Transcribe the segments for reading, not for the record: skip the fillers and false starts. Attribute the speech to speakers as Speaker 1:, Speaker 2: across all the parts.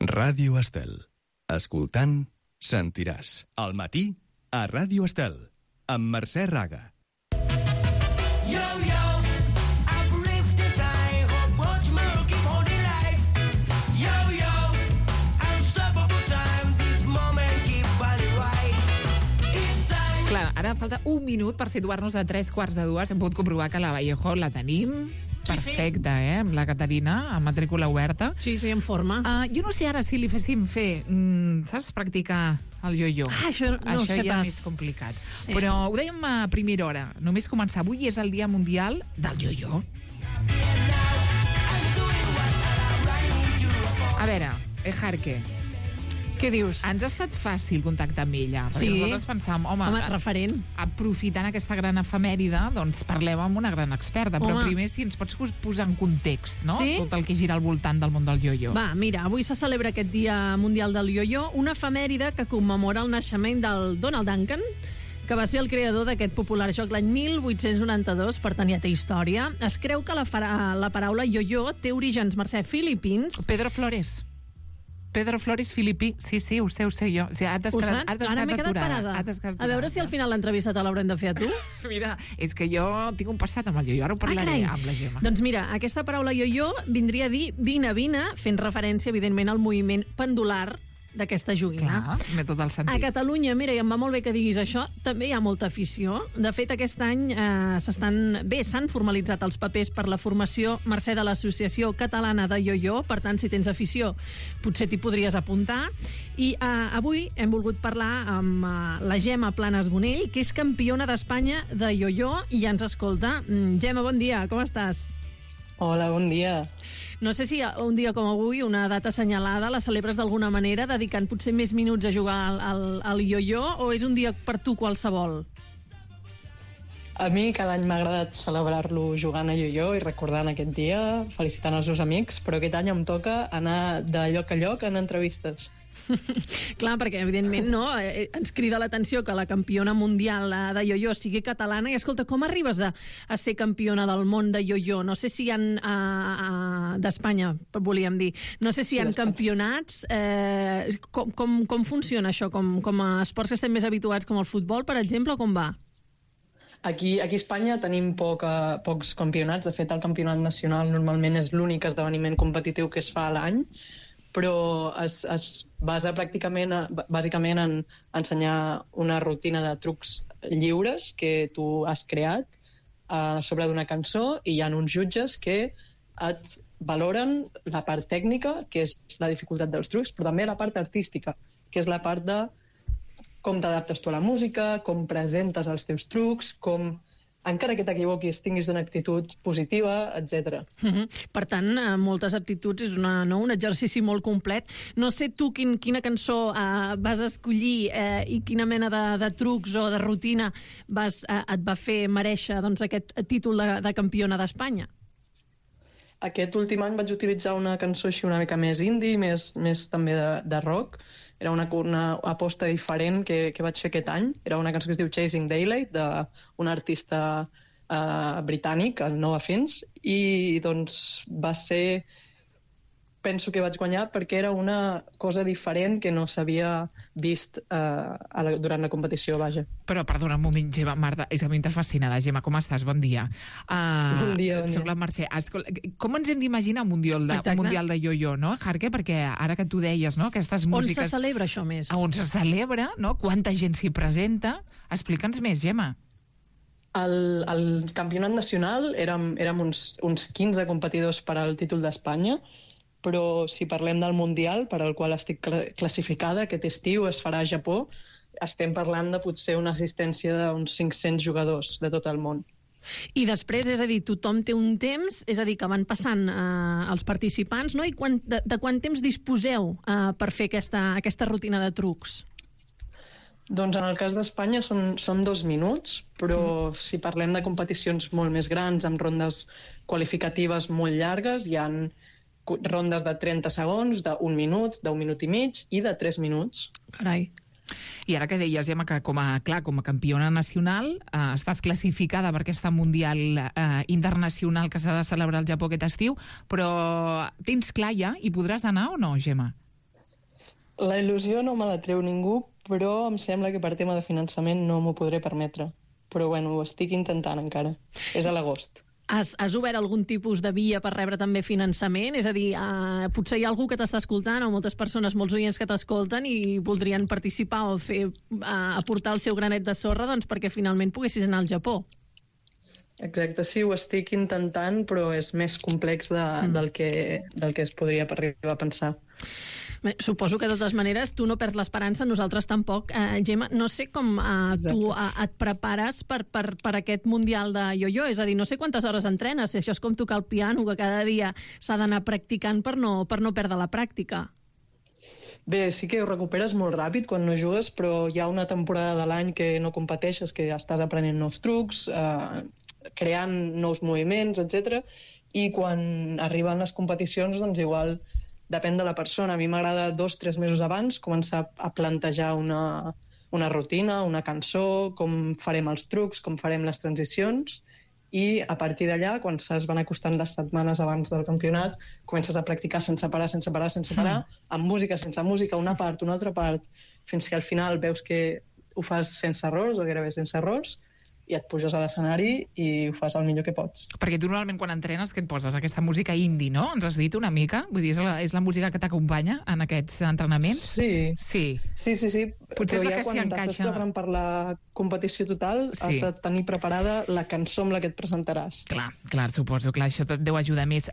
Speaker 1: Ràdio Estel. Escoltant, sentiràs. Al matí, a Ràdio Estel, amb Mercè Raga.
Speaker 2: Clar, ara falta un minut per situar-nos a 3:15. Hem pogut comprovar que la Vallejo la tenim perfecta, amb la Caterina, amb matrícula oberta.
Speaker 3: Sí, en forma.
Speaker 2: Jo no sé ara si li féssim fer, saps, practicar el yo-yo.
Speaker 3: Això no ho sé
Speaker 2: ja
Speaker 3: pas.
Speaker 2: és complicat. Sí. Però ho dèiem a primera hora. Només començar. Avui és el Dia Mundial del yo-yo. A veure, Ejarque,
Speaker 3: què dius?
Speaker 2: ens ha estat fàcil contactar amb ella, perquè
Speaker 3: Sí.
Speaker 2: nosaltres pensàvem, home,
Speaker 3: referent.
Speaker 2: aprofitant aquesta gran efemèride, doncs parlem amb una gran experta, però primer si ens pots posar en context, no?
Speaker 3: Sí?
Speaker 2: Tot el que gira al voltant del món del yo-yo.
Speaker 3: Va, mira, avui se celebra aquest Dia Mundial del Yo-Yo, una efemèride que commemora el naixement del Donald Duncan, que va ser el creador d'aquest popular joc l'any 1892, per tant ja té història. Es creu que la paraula yo-yo té orígens, Mercè, filipins.
Speaker 2: Pedro Flores filipí, sí, ho sé jo. O sigui,
Speaker 3: Ara m'he quedat parada. A veure si al final l'entrevista te l'haurem de fer a tu.
Speaker 2: Mira, és que jo tinc un passat amb el yo-yo, ara ho parlaré amb la Gemma.
Speaker 3: Doncs mira, aquesta paraula yo-yo vindria a dir vine, fent referència, evidentment, al moviment pendular d'aquesta joguina.
Speaker 2: Clar, té tot el sentit.
Speaker 3: A Catalunya, mira, i em va molt bé que diguis això, també hi ha molta afició. De fet, aquest any s'han formalitzat els papers per la formació Mercè de l'Associació Catalana de Yo-Yo, per tant, si tens afició, potser t'hi podries apuntar. I avui hem volgut parlar amb la Gemma Planas Bonell, que és campiona d'Espanya de yo-yo i ja ens escolta. Gemma, bon dia, com estàs?
Speaker 4: Hola, bon dia.
Speaker 3: No sé si un dia com avui, una data assenyalada, la celebres d'alguna manera, dedicant potser més minuts a jugar al yo-yo, o és un dia per tu qualsevol?
Speaker 4: A mi cada any m'ha agradat celebrar-lo jugant a yo-yo i recordant aquest dia, felicitant els meus amics, però aquest any em toca anar de lloc a lloc en entrevistes.
Speaker 3: Clar, perquè evidentment ens crida l'atenció que la campiona mundial de yo-yo sigui catalana i escolta, com arribes a ser campiona del món de yo-yo? No sé si hi ha d'Espanya, volíem dir, no sé si hi ha campionats, com funciona això? Com a esports que estem més habituats, com el futbol, per exemple, o com va?
Speaker 4: Aquí a Espanya tenim pocs campionats. De fet, el campionat nacional normalment és l'únic esdeveniment competitiu que es fa a l'any, però es basa bàsicament en ensenyar una rutina de trucs lliures que tu has creat sobre d'una cançó, i hi ha uns jutges que et valoren la part tècnica, que és la dificultat dels trucs, però també la part artística, que és la part de com t'adaptes tu a la música, com presentes els teus trucs, com, encara que t'equivoquis, tinguis una actitud positiva, etc.
Speaker 3: Per tant, moltes aptituds, és un exercici molt complet. No sé tu quina cançó vas escollir i quina mena de trucs o de rutina et va fer merèixer aquest títol de campiona d'Espanya.
Speaker 4: Aquest últim any vaig utilitzar una cançó així una mica més indie, més també de rock. Era una aposta diferent que vaig fer aquest any. Era una cançó que es diu Chasing Daylight, d'un artista britànic, el Noah Fins, i doncs va ser... Penso que vaig guanyar perquè era una cosa diferent que no s'havia vist durant la competició, vaja.
Speaker 2: Però, perdona un moment, Gemma, Marta, és a mi fascinada. Gemma, com estàs? Bon dia.
Speaker 4: Bon dia.
Speaker 2: Soc la Mercè. Com ens hem d'imaginar un mundial de yo-yo, no, Jarque? Perquè ara que tu deies, no, aquestes músiques...
Speaker 3: On se celebra això més?
Speaker 2: On se celebra, no? Quanta gent s'hi presenta? Explica'ns més, Gemma.
Speaker 4: Al campionat nacional érem uns 15 competidors per al títol d'Espanya, però si parlem del Mundial, per al qual estic classificada, aquest estiu es farà a Japó, estem parlant de potser una assistència d'uns 500 jugadors de tot el món.
Speaker 3: I després, és a dir, tothom té un temps, és a dir, que van passant els participants, no? I de quant temps disposeu per fer aquesta rutina de trucs?
Speaker 4: Doncs en el cas d'Espanya són 2 minuts, però si parlem de competicions molt més grans, amb rondes qualificatives molt llargues, hi ha rondes de 30 segons, d'1 minut, d'1 minut i mig i de 3 minuts.
Speaker 3: Carai.
Speaker 2: I ara que deies, Gemma, que com a campiona nacional estàs classificada per aquesta Mundial internacional que s'ha de celebrar al Japó aquest estiu, però tens clar ja i podràs anar o no, Gemma?
Speaker 4: La il·lusió no me la treu ningú, però em sembla que per tema de finançament no m'ho podré permetre. Però bueno, ho estic intentant encara. És a l'agost.
Speaker 3: Has obert algun tipus de via per rebre també finançament? És a dir, potser hi ha algú que t'està escoltant o moltes persones, molts oients que t'escolten i voldrien participar o aportar el seu granet de sorra doncs, perquè finalment poguessis anar al Japó.
Speaker 4: Exacte, sí, ho estic intentant, però és més complex del que es podria arribar a pensar.
Speaker 3: Bé, suposo que de totes maneres tu no perds l'esperança, nosaltres tampoc. Gemma, no sé com tu et prepares per aquest Mundial de yo-yo, és a dir, no sé quantes hores entrenes, si això és com tocar el piano, que cada dia s'ha d'anar practicant per no perdre la pràctica.
Speaker 4: Bé, sí que ho recuperes molt ràpid quan no jugues, però hi ha una temporada de l'any que no competeixes, que estàs aprenent nous trucs, creant nous moviments, etc. I quan arriben les competicions, doncs igual depèn de la persona. A mi m'agrada 2 o 3 mesos abans començar a plantejar una rutina, una cançó, com farem els trucs, com farem les transicions, i a partir d'allà, quan es van acostant les setmanes abans del campionat, comences a practicar sense parar, amb música, sense música, una part, una altra part, fins que al final veus que ho fas sense errors, o gairebé sense errors, i et puges a l'escenari i ho fas el millor que pots.
Speaker 2: Perquè tu normalment quan entrenes, què et poses? Aquesta música indie, no? Ens has dit una mica? Vull dir, és la música que t'acompanya en aquests entrenaments?
Speaker 4: Sí.
Speaker 2: Sí. Potser és la que s'hi encaixa.
Speaker 4: Quan estàs preparant per la competició total, has de tenir preparada la cançó amb la que et presentaràs.
Speaker 2: Clar, suposo que això et deu ajudar més.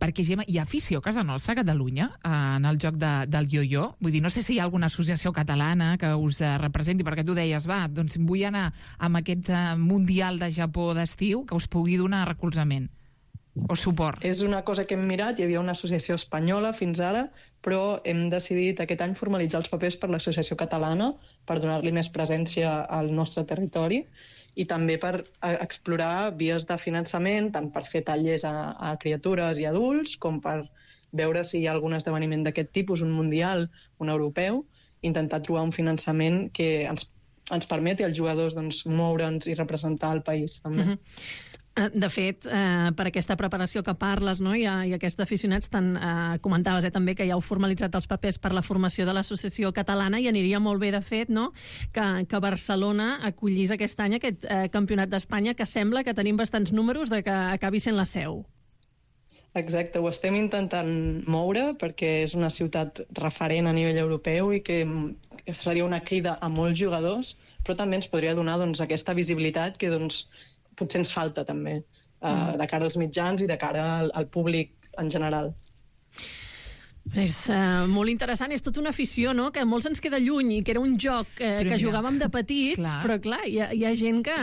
Speaker 2: Perquè, Gemma, hi ha afició a casa nostra, a Catalunya, en el joc del yo-yo? Vull dir, no sé si hi ha alguna associació catalana que us representi, perquè tu deies, doncs vull anar amb aquest Mundial de Japó d'estiu que us pugui donar recolzament o suport.
Speaker 4: És una cosa que hem mirat, hi havia una associació espanyola fins ara, però hem decidit aquest any formalitzar els papers per l'associació catalana per donar-li més presència al nostre territori i també per explorar vies de finançament, tant per fer tallers a criatures i adults, com per veure si hi ha algun esdeveniment d'aquest tipus, un mundial, un europeu, intentar trobar un finançament que ens permeti als jugadors moure'ns i representar el país, també.
Speaker 3: De fet, per aquesta preparació que parles, no, i aquests aficionats, comentaves també que ja heu formalitzat els papers per la formació de l'Associació Catalana i aniria molt bé, de fet, no, que Barcelona acollís aquest any aquest Campionat d'Espanya, que sembla que tenim bastants números de que acabi sent la seu.
Speaker 4: Exacte, ho estem intentant moure perquè és una ciutat referent a nivell europeu i que seria una crida a molts jugadors, però també ens podria donar aquesta visibilitat que potser ens falta també, de cara als mitjans i de cara al públic en general.
Speaker 3: És molt interessant, és tota una afició, no?, que molts ens queda lluny i que era un joc que jugàvem de petits, però clar, hi ha gent que...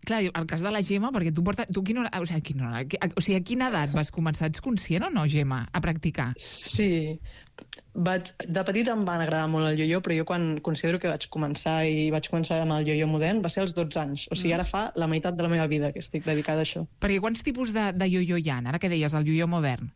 Speaker 2: Clar, el cas de la Gemma, perquè tu quina hora... O sigui, a quina edat vas començar? Ets conscient o no, Gemma, a practicar?
Speaker 4: Sí, de petit em van agradar molt el yo-yo, però jo quan considero que vaig començar amb el yo-yo modern va ser als 12 anys. O sigui, ara fa la meitat de la meva vida que estic dedicada a això.
Speaker 2: Perquè quants tipus de yo-yo hi ha? Ara que deies, el yo-yo modern?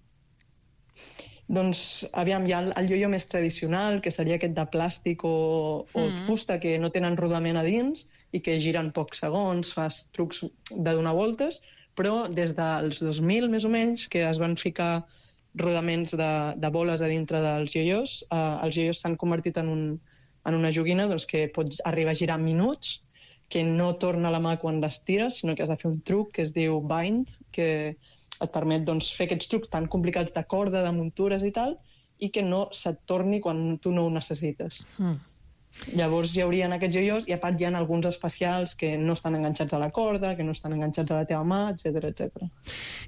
Speaker 4: Doncs, aviam, hi ha el yo-yo més tradicional, que seria aquest de plàstic o fusta, que no tenen rodament a dins i que giren pocs segons, fas trucs de donar voltes, però des dels 2000, més o menys, que es van ficar rodaments de boles a dintre dels yo-yos, els yo-yos s'han convertit en una joguina que pot arribar a girar minuts, que no torna a la mà quan l'estires, sinó que has de fer un truc que es diu bind, que et permet fer aquests trucs tan complicats de corda, de muntures i tal, i que no se't torni quan tu no ho necessites. Llavors hi haurien aquests yo-yos i a part hi ha alguns especials que no estan enganxats a la corda, que no estan enganxats a la teva mà, etc.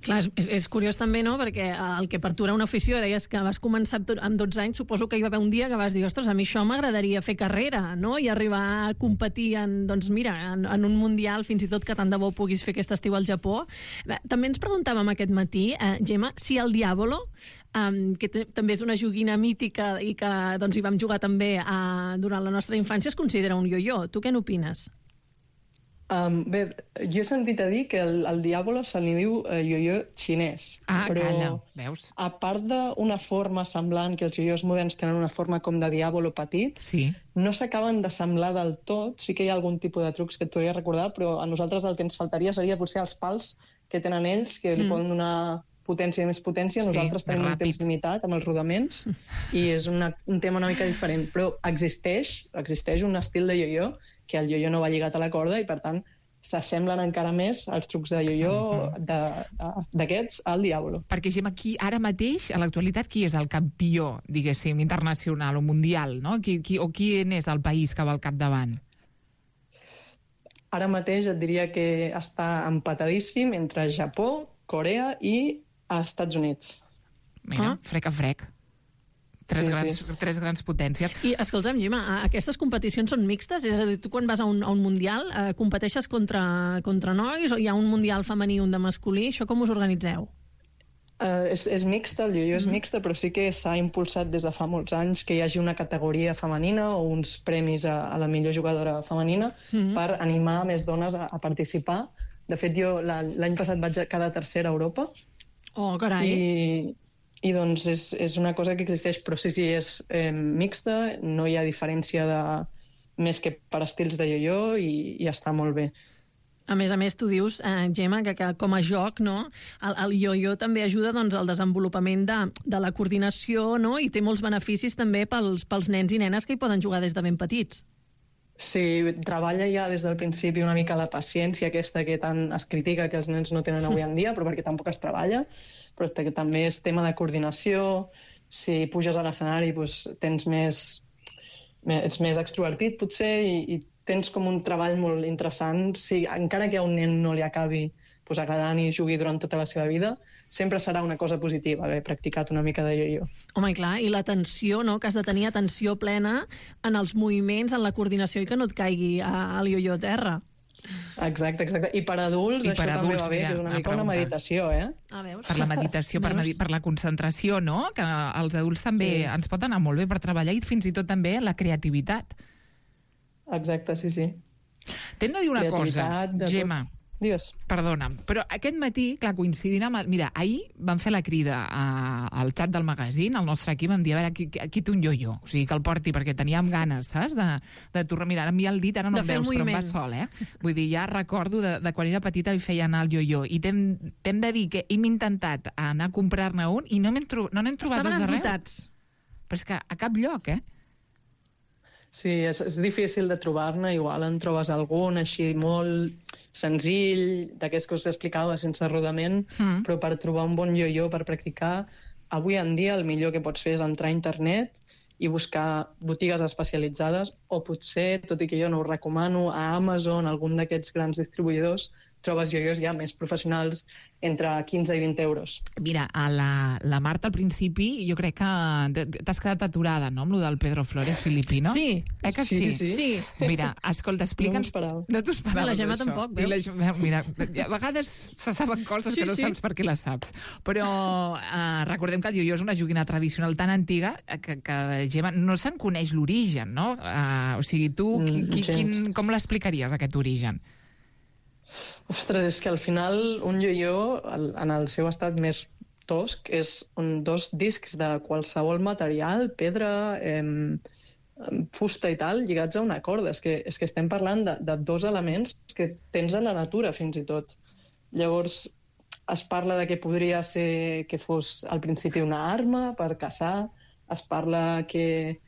Speaker 3: Clar, és curiós també, no?, perquè el que per tu era una afició, deies que vas començar amb 12 anys, suposo que hi va haver un dia que vas dir, ostres, a mi això m'agradaria fer carrera, no?, i arribar a competir en un mundial, fins i tot que tant de bo puguis fer aquest estiu al Japó. També ens preguntàvem aquest matí, Gemma, si el Diavolo, que també és una joguina mítica i que hi vam jugar també durant la nostra infància, es considera un yo-yo. Tu què n'opines?
Speaker 4: Bé, jo he sentit a dir que el Diabolo se li diu yo-yo xinès.
Speaker 2: Però, calla, veus?
Speaker 4: A part d'una forma semblant, que els yo-yos moderns tenen una forma com de Diabolo petit, no s'acaben de semblar del tot. Sí que hi ha algun tipus de trucs que et podria recordar, però a nosaltres el que ens faltaria seria potser els pals que tenen ells, que li poden donar potència i més potència.
Speaker 2: Sí,
Speaker 4: Nosaltres tenim un
Speaker 2: ràpid.
Speaker 4: temps limitat amb els rodaments i és un tema una mica diferent, però existeix un estil de io-io que el io-io no va lligat a la corda i, per tant, s'assemblen encara més als trucs de io-io d'aquests al Diablo.
Speaker 2: Perquè, Gemma, aquí, ara mateix, a l'actualitat, qui és el campió, diguéssim, internacional o mundial, no? Qui és el país que va al capdavant?
Speaker 4: Ara mateix et diria que està empatadíssim entre Japó, Corea i Estats Units.
Speaker 2: Mira, frec a frec. Tres grans potències.
Speaker 3: I, escolta'm, Gemma, aquestes competicions són mixtes? És a dir, tu quan vas a un mundial competeixes contra nois o hi ha un mundial femení i un de masculí? Això com us organitzeu?
Speaker 4: És mixta, el io-io és mixta, però sí que s'ha impulsat des de fa molts anys que hi hagi una categoria femenina o uns premis a la millor jugadora femenina per animar més dones a participar. De fet, jo l'any passat vaig quedar tercera a Europa.
Speaker 3: Oh, carai!
Speaker 4: I doncs és una cosa que existeix, però sí, és mixta, no hi ha diferència més que per estils de io-io i està molt bé.
Speaker 3: A més, tu dius, Gemma, que com a joc, no, el io-io també ajuda doncs, al desenvolupament de la coordinació, no? I té molts beneficis també pels nens i nenes que hi poden jugar des de ben petits.
Speaker 4: Sí, treballa ja des del principi una mica la paciència aquesta que tant es critica que els nens no tenen avui en dia, però perquè tampoc es treballa, però que també és tema de coordinació. Si puges a l'escenari doncs, ets més extrovertit, potser, i tens com un treball molt interessant. Si, encara que a un nen no li acabi agradant i jugui durant tota la seva vida, sempre serà una cosa positiva haver practicat una mica de io-io.
Speaker 3: Home, i clar, i l'atenció, no?, que has de tenir atenció plena en els moviments, en la coordinació i que no et caigui el io-io a terra.
Speaker 4: Exacte. I per adults això també va bé, que és una mica una meditació,
Speaker 3: veus?
Speaker 2: Per la meditació, per la concentració, no? Que als adults també ens pot anar molt bé per treballar i fins i tot també la creativitat.
Speaker 4: Exacte, sí.
Speaker 2: T'hem de dir una cosa, Gemma.
Speaker 4: Digues.
Speaker 2: Perdona'm, però aquest matí, clar, coincidint amb... Mira, ahir vam fer la crida al xat del magazín, al nostre equip, vam dir, a veure, qui té un io-io? O sigui, que el porti, perquè teníem ganes, saps? De tornar... Mira, ara em el dit, ara no em veus, però em va sol, Vull dir, ja recordo de quan era petita i feia anar el io-io. I t'hem de dir que hem intentat anar a comprar-ne un i no n'hem trobat
Speaker 3: Estaven
Speaker 2: arreu.
Speaker 3: esgotats.
Speaker 2: Però és que a cap lloc,
Speaker 4: Sí, és difícil de trobar-ne, igual en trobes algun així molt senzill, d'aquests que us explicava, sense rodament, però per trobar un bon io-io per practicar, avui en dia el millor que pots fer és entrar a internet i buscar botigues especialitzades, o potser, tot i que jo no ho recomano, a Amazon, algun d'aquests grans distribuïdors, trobes io-ios ja més professionals entre 15 i 20 euros.
Speaker 2: Mira, a la Marta al principi jo crec que t'has quedat aturada, no?, amb lo del Pedro Flores filipino.
Speaker 3: Sí.
Speaker 2: Que sí? Mira, escolta, explica'ns...
Speaker 4: No
Speaker 2: t'ho esperaves,
Speaker 3: la Gemma
Speaker 2: això.
Speaker 3: tampoc, veus?
Speaker 2: Mira, a vegades se saben coses que no saps per què les saps. Però recordem que el io-io és una joguina tradicional tan antiga que Gemma, no se'n coneix l'origen, no? O sigui, tu, com l'explicaries, aquest origen?
Speaker 4: Ostres, és que al final un io-io, en el seu estat més tosc, és dos discs de qualsevol material, pedra, fusta i tal, lligats a una corda. És que estem parlant de dos elements que tens a la natura, fins i tot. Llavors, es parla de que podria ser que fos al principi una arma per caçar, es parla que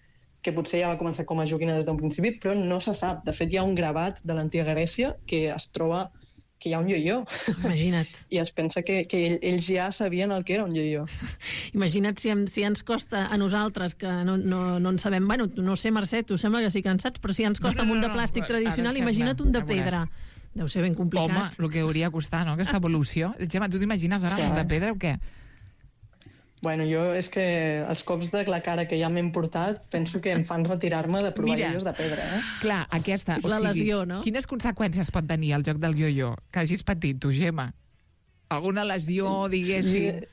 Speaker 4: potser ja va començar com a joguina des d'un principi, però no se sap. De fet, hi ha un gravat de l'antiga Grècia que es troba que hi ha un io-io.
Speaker 3: Imagina't.
Speaker 4: I es pensa que ells ja sabien el que era un io-io.
Speaker 3: Imagina't si ens costa a nosaltres, que no en sabem... Bueno, no sé, Mercè, tu sembla que sí que en saps, però si ens costa un de plàstic tradicional, imagina't un de pedra. Deu ser ben complicat.
Speaker 2: Home, el que hauria de costar, no?, aquesta evolució. Gemma, tu t'imagines ara un de pedra o què?
Speaker 4: Bueno, jo és que els cops de la cara que ja m'he portat penso que em fan retirar-me de provar io-ios de pedra,
Speaker 2: Clar, aquesta...
Speaker 3: És la lesió, no?
Speaker 2: Quines conseqüències pot tenir el joc del io-io? Que hagis patit, tu, Gemma? Alguna lesió, diguéssim?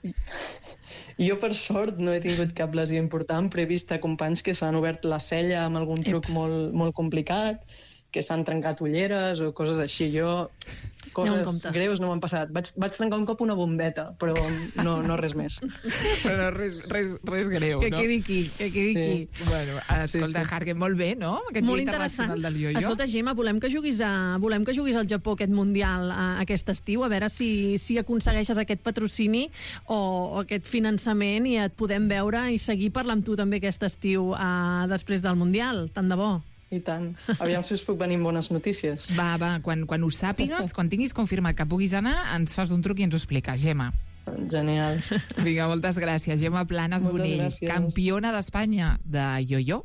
Speaker 4: Jo, per sort, no he tingut cap lesió important, però he vist companys que s'han obert la cella amb algun truc molt, molt complicat, que s'han trencat ulleres o coses així. Jo, coses greus no m'han passat. Vaig trencar un cop una bombeta, però no res més.
Speaker 2: Però res greu,
Speaker 3: que quedi aquí.
Speaker 2: Bueno, escolta, Hargen, molt bé, no? Aquest
Speaker 3: molt
Speaker 2: dia internacional del io-io.
Speaker 3: Escolta, Gemma, volem que juguis al Japó aquest Mundial aquest estiu, a veure si aconsegueixes aquest patrocini o aquest finançament i et podem veure i seguir parlant amb tu també aquest estiu després del Mundial. Tant de bo.
Speaker 4: I tant. Aviam si us puc venir amb bones notícies.
Speaker 2: Va, quan ho sàpigues, quan tinguis confirmat que puguis anar, ens fas un truc i ens ho expliques, Gemma.
Speaker 4: Genial.
Speaker 2: Vinga, moltes gràcies. Gemma Planas Bonell, campiona d'Espanya de io-io.